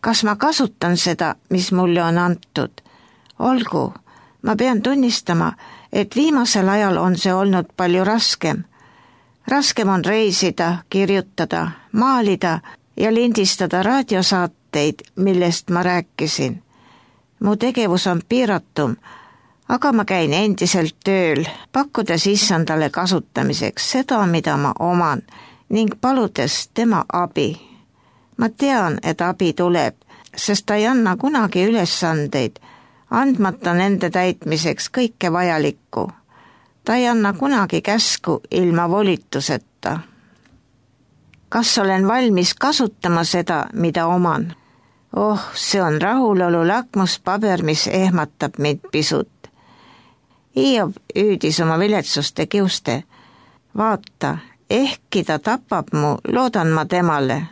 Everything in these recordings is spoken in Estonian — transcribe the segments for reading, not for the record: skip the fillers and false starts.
Kas ma kasutan seda, mis mulle on antud? Olgu, ma pean tunnistama, et viimasel ajal on see olnud palju raskem. Raskem on reisida, kirjutada, maalida ja lindistada raadiosaateid, millest ma rääkisin. Mu tegevus on piiratum, aga ma käin endiselt tööl, pakkudes issandale kasutamiseks seda, mida ma oman, ning paludes tema abi. Ma tean, et abi tuleb, sest ta ei anna kunagi ülesandeid, andmata nende täitmiseks kõike vajalikku. Ta ei anna kunagi käsku ilma volituseta. Kas olen valmis kasutama seda, mida oman? See on rahulolu lakmuspaber, mis ehmatab mind pisut. Hiob hüüdis oma viletsuste kiuste. Vaata, ehkki ta tapab mu, loodan ma temale.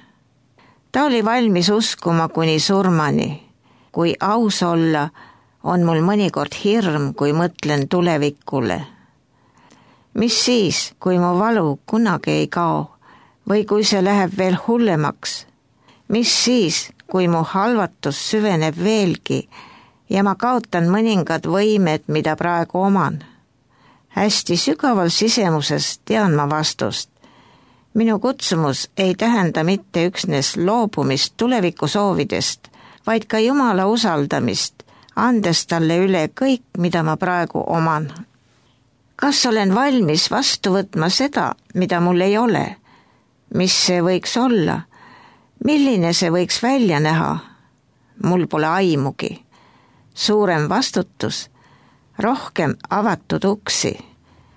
Ta oli valmis uskuma kuni surmani. Kui aus olla, on mul mõnikord hirm, kui mõtlen tulevikule. Mis siis, kui mu valu kunagi ei kao või kui see läheb veel hullemaks? Mis siis, kui mu halvatus süveneb veelgi ja ma kaotan mõningad võimed, mida praegu oman? Hästi sügaval sisemuses tean ma vastust. Minu kutsumus ei tähenda mitte üksnes loobumist tulevikusoovidest, vaid ka Jumala usaldamist, andes talle üle kõik, mida ma praegu oman. Kas olen valmis vastu võtma seda, mida mul ei ole? Mis see võiks olla? Milline see võiks välja näha? Mul pole aimugi. Suurem vastutus, rohkem avatud uksi,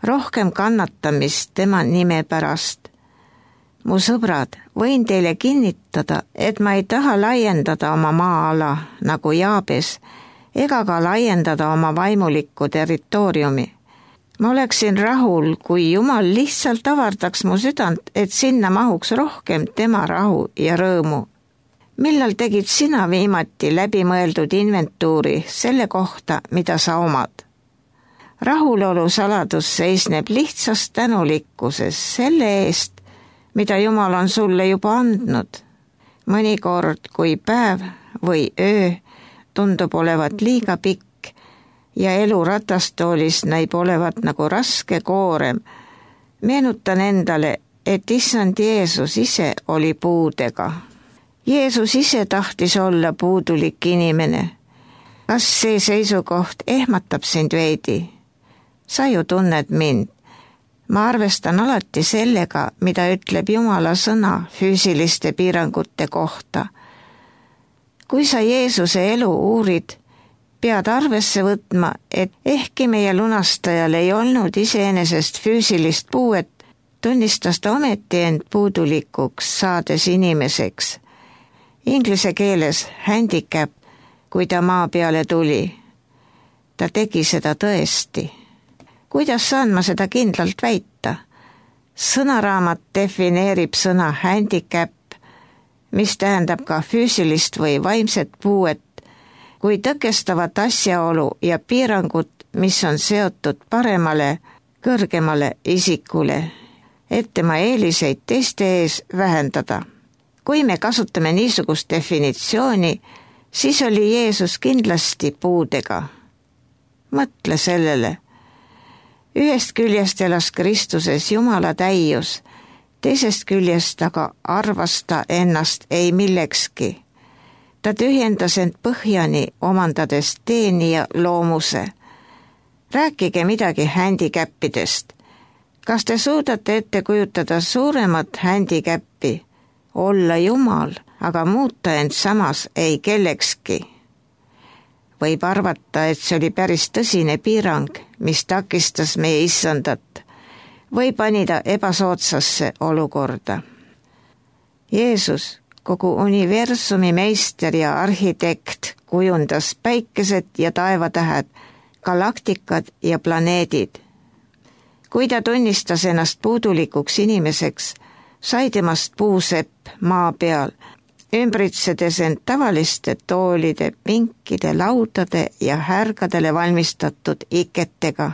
rohkem kannatamist tema nime pärast. Mu sõbrad, võin teile kinnitada, et ma ei taha laiendada oma maa-ala nagu Jaabes ega ka laiendada oma vaimulikku territooriumi. Ma oleksin rahul, kui Jumal lihtsalt avardaks mu südant, et sinna mahuks rohkem tema rahu ja rõõmu. Millal tegid sina viimati läbimõeldud inventuuri selle kohta, mida sa omad? Rahulolu saladus seisneb lihtsas tänulikkuses selle eest, mida Jumal on sulle juba andnud. Mõnikord, kui päev või öö tundub olevat liiga pikk ja elu ratastoolis näib olevat nagu raske koorem, meenutan endale, et issand Jeesus ise oli puudega. Jeesus ise tahtis olla puudulik inimene. Kas see seisukoht ehmatab sind veidi? Sa ju tunned mind. Ma arvestan alati sellega, mida ütleb Jumala sõna füüsiliste piirangute kohta. Kui sa Jeesuse elu uurid, pead arvesse võtma, et ehkki meie lunastajal ei olnud iseenesest füüsilist puuet, tunnistas ta ometi end puudulikuks, saades inimeseks. Inglise keeles handicap, kui ta maa peale tuli. Ta tegi seda tõesti. Kuidas saan ma seda kindlalt väita? Sõnaraamat defineerib sõna handicap, mis tähendab ka füüsilist või vaimset puuet, kui tõkestavat asjaolu ja piirangut, mis on seotud paremale, kõrgemale isikule, et tema eeliseid teiste ees vähendada. Kui me kasutame niisugust definitsiooni, siis oli Jeesus kindlasti puudega. Mõtle sellele. Ühest küljest elas Kristuses Jumala täius, teisest küljest aga arvas ta ennast ei millekski. Ta tühjendas end põhjani, omandades teenija loomuse. Rääkige midagi handicappidest. Kas te suudate ette kujutada suuremat handicappi? Olla Jumal, aga muuta end samas ei kellekski. Võib arvata, et see oli päris tõsine piirang, mis takistas meie issandat või pani ta ebasoodsasse olukorda. Jeesus, kogu universumi meister ja arhitekt, kujundas päikesed ja taevatähed, galaktikad ja planeedid. Kui ta tunnistas ennast puudulikuks inimeseks, sai temast puusepp maa peal, ümbritsedes end tavaliste toolide, pinkide, laudade ja härgadele valmistatud iketega.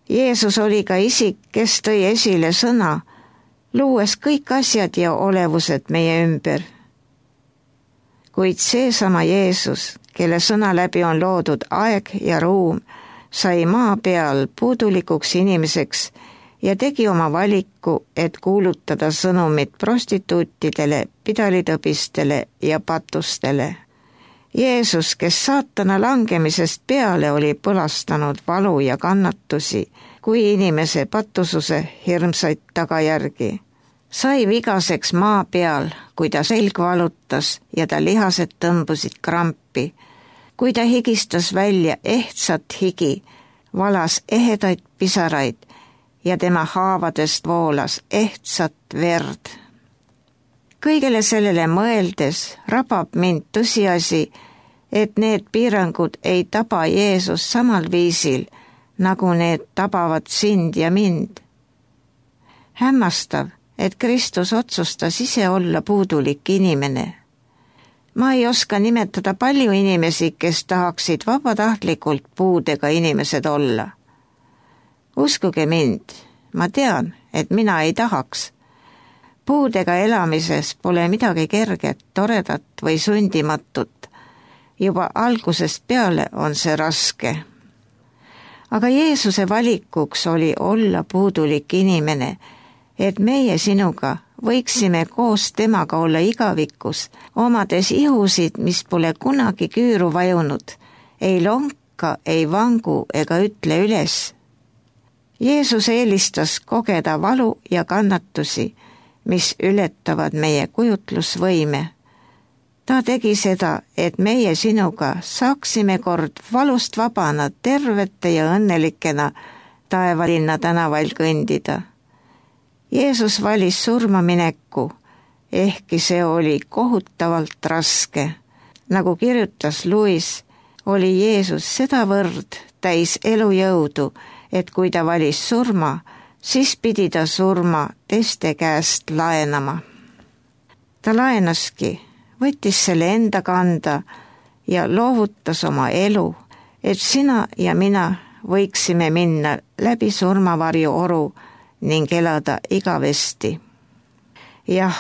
Jeesus oli ka isik, kes tõi esile sõna, luues kõik asjad ja olevused meie ümber. kuid seesama Jeesus, kelle sõna läbi on loodud aeg ja ruum, sai maa peal puudulikuks inimeseks ja tegi oma valiku, et kuulutada sõnumit prostituutidele, pidalitõbistele ja patustele. Jeesus, kes saatana langemisest peale oli põlastanud valu ja kannatusi, kui inimese patususe hirmsaid tagajärgi, sai vigaseks maa peal, kui ta selg valutas ja ta lihased tõmbusid krampi, kui ta higistas välja ehtsat higi, valas ehedaid pisaraid ja tema haavadest voolas ehtsat verd. Kõigele sellele mõeldes rabab mind tõsiasi, et need piirangud ei taba Jeesus samal viisil, nagu need tabavad sind ja mind. Hämmastav, et Kristus otsustas ise olla puudulik inimene. Ma ei oska nimetada palju inimesi, kes tahaksid vabatahtlikult puudega inimesed olla. Uskuge mind, ma tean, et mina ei tahaks. Puudega elamises pole midagi kerget, toredat või sundimatut. Juba algusest peale on see raske. Aga Jeesuse valikuks oli olla puudulik inimene, et meie sinuga võiksime koos temaga olla igavikus, omades ihusid, mis pole kunagi küüru vajunud, ei lonka, ei vangu ega ütle üles. Jeesus eelistas kogeda valu ja kannatusi, mis ületavad meie kujutlusvõime. Ta tegi seda, et meie sinuga saaksime kord valust vabana tervete ja õnnelikena taevalinna tänavail kõndida. Jeesus valis surmamineku, ehkki see oli kohutavalt raske. Nagu kirjutas Louis, oli Jeesus sedavõrd täis elujõudu, et kui ta valis surma, siis pidi ta surma teiste käest laenama. Ta laenaski, võttis selle enda kanda ja loovutas oma elu, et sina ja mina võiksime minna läbi surmavarju oru ning elada igavesti. Jah,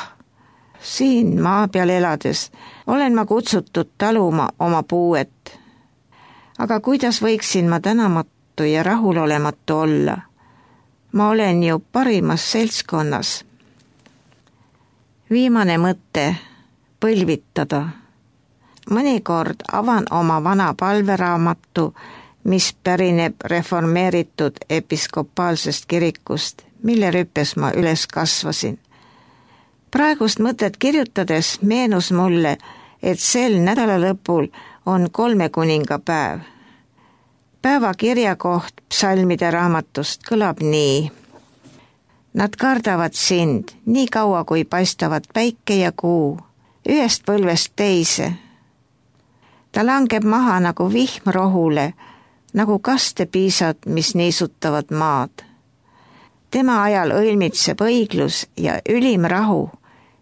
siin maa peal elades olen ma kutsutud taluma oma puuet. Aga kuidas võiksin ma tänamatu ja rahulolematu olla? Ma olen ju parimas seltskonnas. Viimane mõte, põlvitada. Mõnikord avan oma vana palveraamatu, mis pärineb reformeeritud episkopaalsest kirikust, mille rüppes ma üles kasvasin. Praegust mõtet kirjutades meenus mulle, et sel nädalalõpul on 3 kuningapäev. Päeva kirjakoht psalmide raamatust kõlab nii. Nad kardavad sind nii kaua, kui paistavad päike ja kuu, ühest põlvest teise. Ta langeb maha nagu vihm rohule, nagu kastepiisad, mis niisutavad maad. Tema ajal õilmitseb õiglus ja ülim rahu,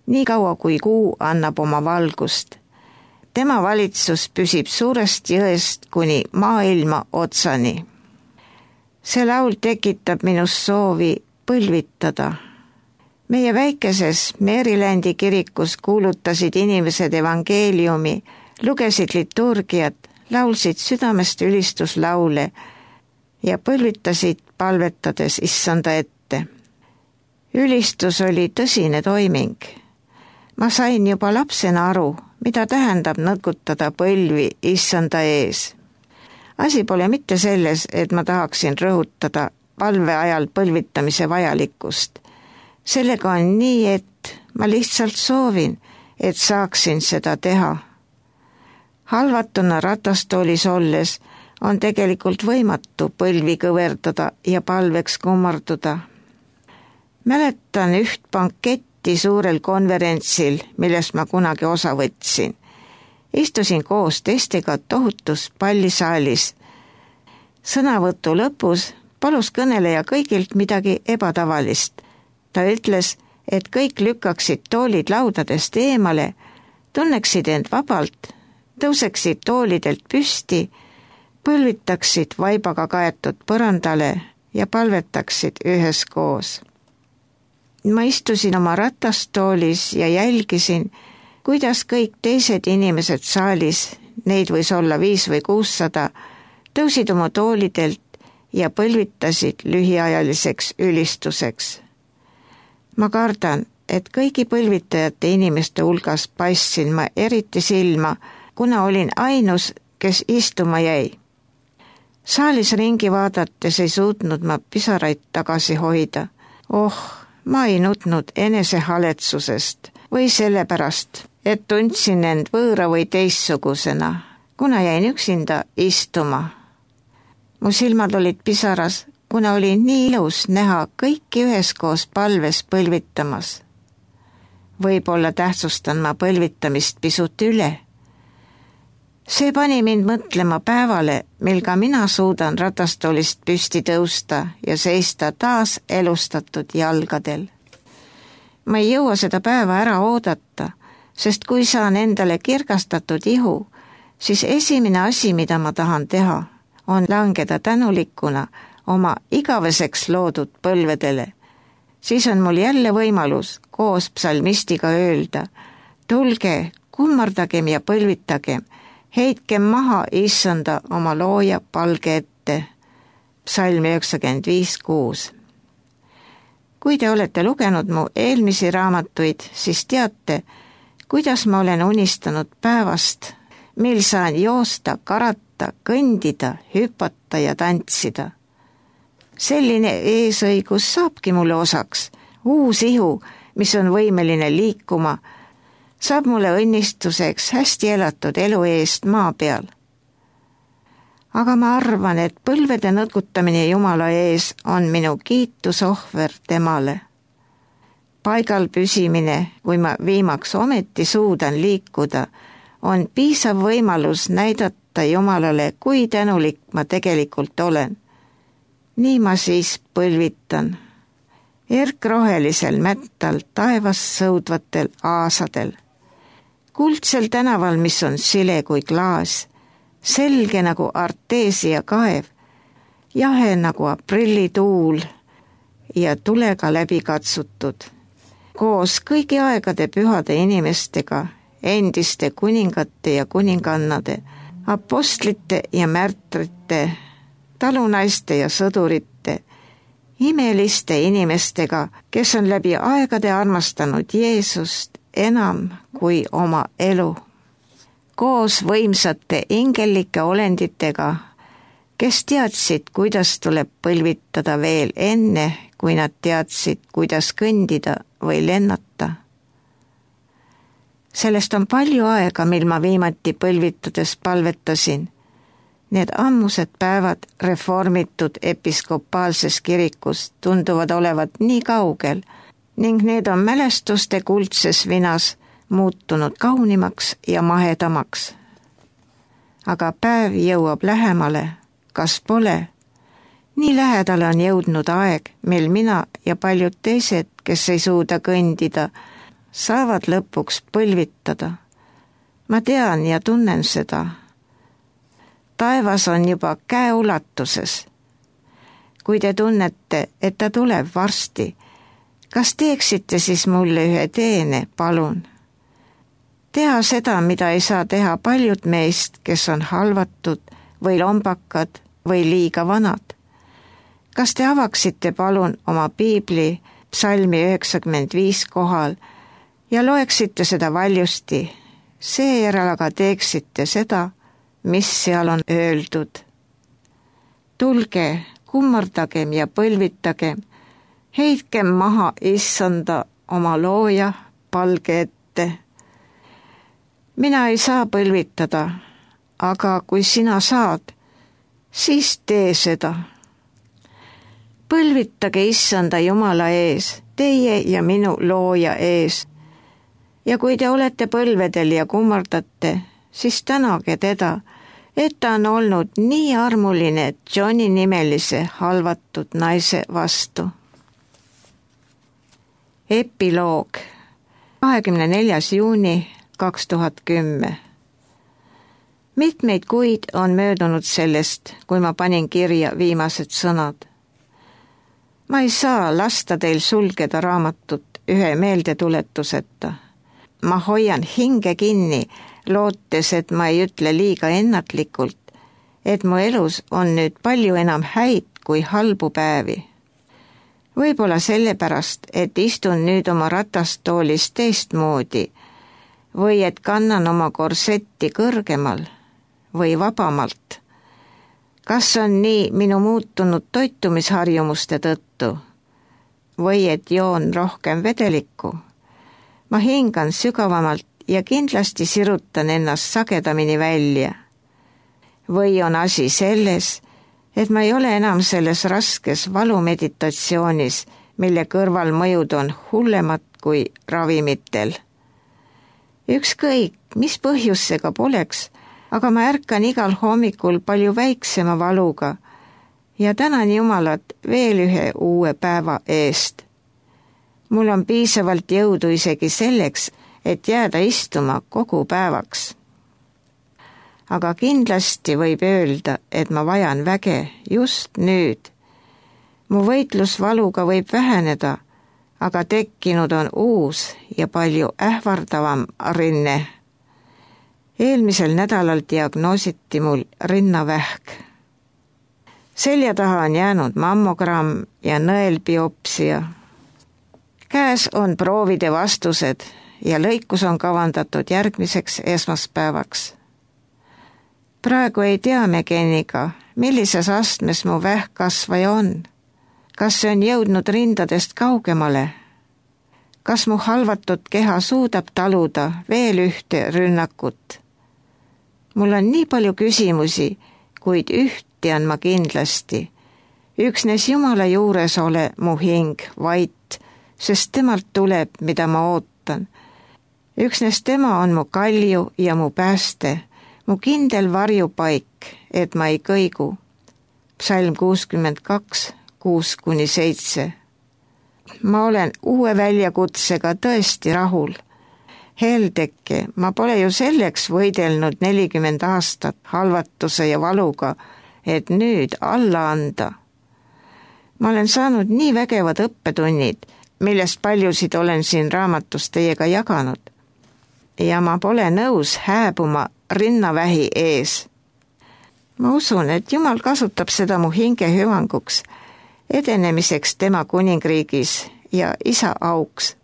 nii kaua kui kuu annab oma valgust. Tema valitsus püsib suurest jõest kuni maailma otsani. See laul tekitab minus soovi põlvitada. Meie väikeses Marylandi kirikus kuulutasid inimesed evangeeliumi, lugesid liturgiat, laulsid südamest ülistuslaule ja põlvitasid palvetades issanda ette. Ülistus oli tõsine toiming. Ma sain juba lapsena aru, mida tähendab nõkutada põlvi issanda ees. Asi pole mitte selles, et ma tahaksin rõhutada palve ajal põlvitamise vajalikkust. Sellega on nii, et ma lihtsalt soovin, et saaksin seda teha. Halvatuna ratastoolis olles on tegelikult võimatu põlvi kõverdada ja palveks kummarduda. Mäletan üht banketti suurel konverentsil, millest ma kunagi osa võtsin. Istusin koos teistega tohutus pallisaalis. Sõnavõtu lõpus palus kõneleja kõigilt midagi ebatavalist. Ta ütles, et kõik lükkaksid toolid laudadest eemale, tunneksid end vabalt, tõuseksid toolidelt püsti, põlvitaksid vaibaga kaetud põrandale ja palvetaksid üheskoos. Ma istusin oma ratastoolis ja jälgisin, kuidas kõik teised inimesed saalis, neid võis olla 5 või 600, tõusid oma toolidelt ja põlvitasid lühiajaliseks ülistuseks. Ma kardan, et kõigi põlvitajate inimeste hulgas paistsin ma eriti silma, kuna olin ainus, kes istuma jäi. Saalis ringi vaadates ei suutnud ma pisaraid tagasi hoida. Ma ei nutnud enesehaletsusest või sellepärast, et tundsin end võõra või teistsugusena, kuna jäin üksinda istuma. Mu silmad olid pisaras, kuna oli nii ilus näha kõiki üheskoos palves põlvitamas. Võib-olla tähtsustan ma põlvitamist pisut üle. See pani mind mõtlema päevale, mil ka mina suudan ratastoolist püsti tõusta ja seista taas elustatud jalgadel. Ma ei jõua seda päeva ära oodata, sest kui saan endale kirgastatud ihu, siis esimene asi, mida ma tahan teha, on langeda tänulikuna oma igaveseks loodud põlvedele. Siis on mul jälle võimalus koos psalmistiga öelda: tulge, kummardagem ja põlvitagem, heitkem maha issanda oma looja palge ette. Psalm 95:6. Kui te olete lugenud mu eelmisi raamatuid, siis teate, kuidas ma olen unistanud päevast, mil saan joosta, karata, kõndida, hüpata ja tantsida. Selline eesõigus saabki mulle osaks, uus ihu, mis on võimeline liikuma, saab mulle õnnistuseks hästi elatud elu eest maa peal. Aga ma arvan, et põlvede nõtkutamine Jumala ees on minu kiitusohver temale. Paigal püsimine, kui ma viimaks ometi suudan liikuda, on piisav võimalus näidata Jumalale, kui tänulik ma tegelikult olen. Nii ma siis põlvitan. Erkrohelisel mättal taevas sõudvatel aasadel. Kuldsel tänaval, mis on sile kui klaas, selge nagu Arteesia kaev, jahe nagu aprillituul ja tulega läbi katsutud. Koos kõigi aegade pühade inimestega, endiste kuningate ja kuningannade, apostlite ja märtrite, talunaiste ja sõdurite, imeliste inimestega, kes on läbi aegade armastanud Jeesust enam kui oma elu. Koos võimsate ingellike olenditega, kes teadsid, kuidas tuleb põlvitada veel enne, kui nad teadsid, kuidas kõndida või lennata. Sellest on palju aega, mil ma viimati põlvitades palvetasin. Need ammused päevad reformitud episkopaalses kirikus tunduvad olevat nii kaugel ning need on mälestuste kuldses vinas muutunud kaunimaks ja mahedamaks. Aga päev jõuab lähemale, kas pole? Nii lähedale on jõudnud aeg, mil mina ja paljud teised, kes ei suuda kõndida, saavad lõpuks põlvitada. Ma tean ja tunnen seda. Taevas on juba käeulatuses. Kui te tunnete, et ta tuleb varsti, kas teeksite siis mulle ühe teene, palun? Teha seda, mida ei saa teha paljud meist, kes on halvatud või lombakad või liiga vanad. Kas te avaksite palun oma piibli psalmi 95 kohal ja loeksite seda valjusti, seejärel aga teeksite seda, mis seal on öeldud. Tulge, kummardagem ja põlvitagem, heitkem maha issanda oma looja palge ette. Mina ei saa põlvitada, aga kui sina saad, siis tee seda. Põlvitage issanda Jumala ees, teie ja minu looja ees. Ja kui te olete põlvedel ja kummardate, siis tänage teda, et ta on olnud nii armuline Johni nimelise halvatud naise vastu. Epiloog 24. juuni 2010. Mitmeid kuid on möödunud sellest, kui ma panin kirja viimased sõnad. Ma ei saa lasta teil sulgeda raamatut ühe meeldetuletuseta. ma hoian hinge kinni, lootes, et ma ei ütle liiga ennatlikult, et mu elus on nüüd palju enam häid kui halbu päevi. Võib-olla sellepärast, et istun nüüd oma ratastoolis teistmoodi või et kannan oma korsetti kõrgemal või vabamalt. Kas on nii minu muutunud toitumisharjumuste tõttu või et joon rohkem vedelikku? Ma hingan sügavamalt ja kindlasti sirutan ennast sagedamini välja. Või on asi selles, et ma ei ole enam selles raskes valumeditatsioonis, mille kõrvalmõjud on hullemad kui ravimitel. Ükskõik, mis põhjus see ka poleks, aga ma ärkan igal hommikul palju väiksema valuga ja tänan Jumalat veel ühe uue päeva eest. Mul on piisavalt jõudu isegi selleks, et jääda istuma kogu päevaks. Aga kindlasti võib öelda, et ma vajan väge just nüüd. Mu võitlus valuga võib väheneda, aga tekkinud on uus ja palju ähvardavam rinne. Eelmisel nädalal diagnoositi mul rinnavähk. Selja taha on jäänud mammogramm ja nõelbiopsia. Käes on proovide vastused ja lõikus on kavandatud järgmiseks esmaspäevaks. Praegu ei tea me geniga, millises astmes mu vähkkasvaja on. Kas see on jõudnud rindadest kaugemale? Kas mu halvatud keha suudab taluda veel ühte rünnakut? Mul on nii palju küsimusi, kuid ühti on ma kindlasti. Üksnes Jumala juures ole mu hing vait, sest temalt tuleb, mida ma ootan. Üksnes tema on mu kalju ja mu pääste, mu kindel varjupaik, et ma ei kõigu. Psalm 62, 6-7. Ma olen uue väljakutsega tõesti rahul. Heldeke, ma pole ju selleks võidelnud 40 aastat halvatuse ja valuga, et nüüd alla anda. Ma olen saanud nii vägevad õppetunnid, millest paljusid olen siin raamatus teiega jaganud. Ja ma pole nõus hääbuma rinnavähi ees. Ma usun, et Jumal kasutab seda mu hinge hüvanguks, edenemiseks tema kuningriigis ja isa auks.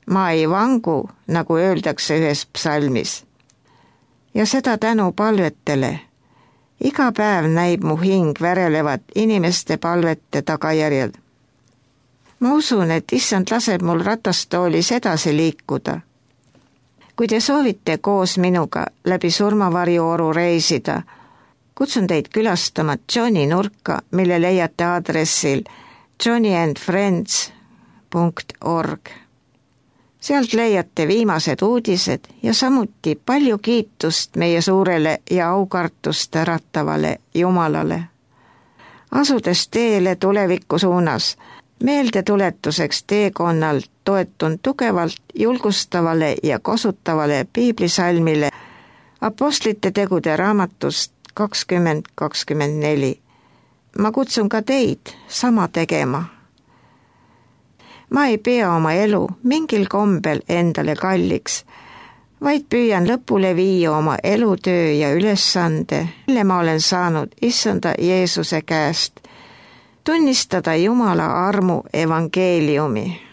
Ma ei vangu, nagu öeldakse ühes psalmis. Ja seda tänu palvetele. Iga päev näib mu hing värelevat inimeste palvete tagajärjel. Ma usun, et issand laseb mul ratastoolis edasi liikuda. Kui te soovite koos minuga läbi surmavarjuoru reisida, kutsun teid külastama Johni nurka, mille leiate aadressil johnnyandfriends.org. Sealt leiate viimased uudised ja samuti palju kiitust meie suurele ja aukartust äratavale Jumalale. Asudes teele tuleviku suunas, meeldetuletuseks teekonnal toetun tugevalt julgustavale ja kosutavale piiblisalmile Apostlite tegude raamatust 20:24. Ma kutsun ka teid sama tegema. Ma ei pea oma elu mingil kombel endale kalliks, vaid püüan lõpule viia oma elutöö ja ülesande, mille ma olen saanud issanda Jeesuse käest, tunnistada Jumala armu evangeeliumi.